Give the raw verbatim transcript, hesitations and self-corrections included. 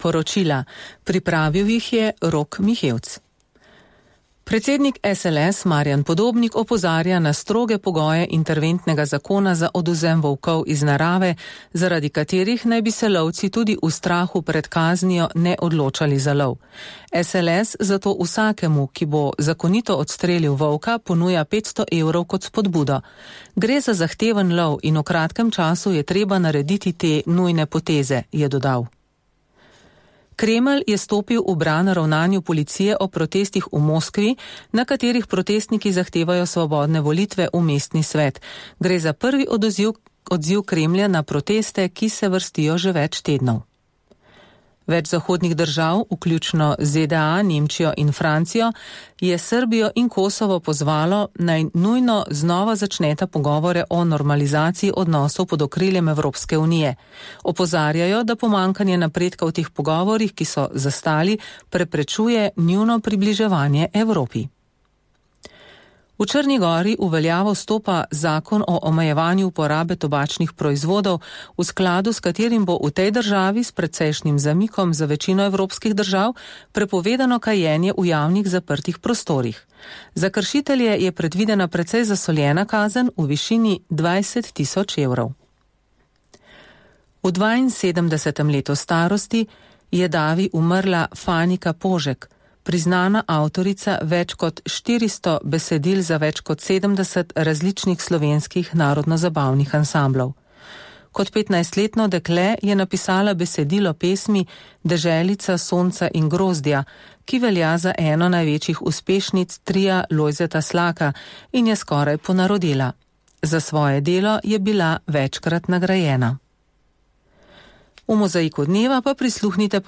Poročila. Pripravil jih je Rok Mihevc. Predsednik S L S Marjan Podobnik opozarja na stroge pogoje interventnega zakona za odvzem volkov iz narave, zaradi katerih naj bi se lovci tudi v strahu pred kaznijo ne odločali za lov. S L S zato vsakemu, ki bo zakonito odstrelil volka, ponuja petsto evrov kot spodbudo. Gre za zahteven lov in v kratkem času je treba narediti te nujne poteze, je dodal. Kremelj je stopil v bran ravnanju policije o protestih v Moskvi, na katerih protestniki zahtevajo svobodne volitve v mestni svet. Gre za prvi odziv, odziv Kremlja na proteste, ki se vrstijo že več tednov. Več zahodnih držav, vključno Z D A, Nemčijo in Francijo, je Srbijo in Kosovo pozvalo, naj nujno znova začneta pogovore o normalizaciji odnosov pod okriljem Evropske unije. Opozarjajo, da pomanjkanje napredka v teh pogovorih, ki so zastali, preprečuje njuno približevanje Evropi. V Črni Gori v veljavo stopa zakon o omejevanju uporabe tobačnih proizvodov, v skladu s katerim bo v tej državi s precejšnjim zamikom za večino evropskih držav prepovedano kajenje v javnih zaprtih prostorih. Za kršitelje je predvidena precej zasoljena kazen v višini dvajset tisoč evrov. V dvainsedemdesetem letu starosti je davi umrla Fanika Požek, priznana avtorica več kot štiristo besedil za več kot sedemdeset različnih slovenskih narodno-zabavnih ansamblov. Kot petnajstletno dekle je napisala besedilo pesmi Deželica sonca in grozdja, ki velja za eno največjih uspešnic tria Lojzeta Slaka in je skoraj ponarodela. Za svoje delo je bila večkrat nagrajena. V mozaiku dneva pa prisluhnite po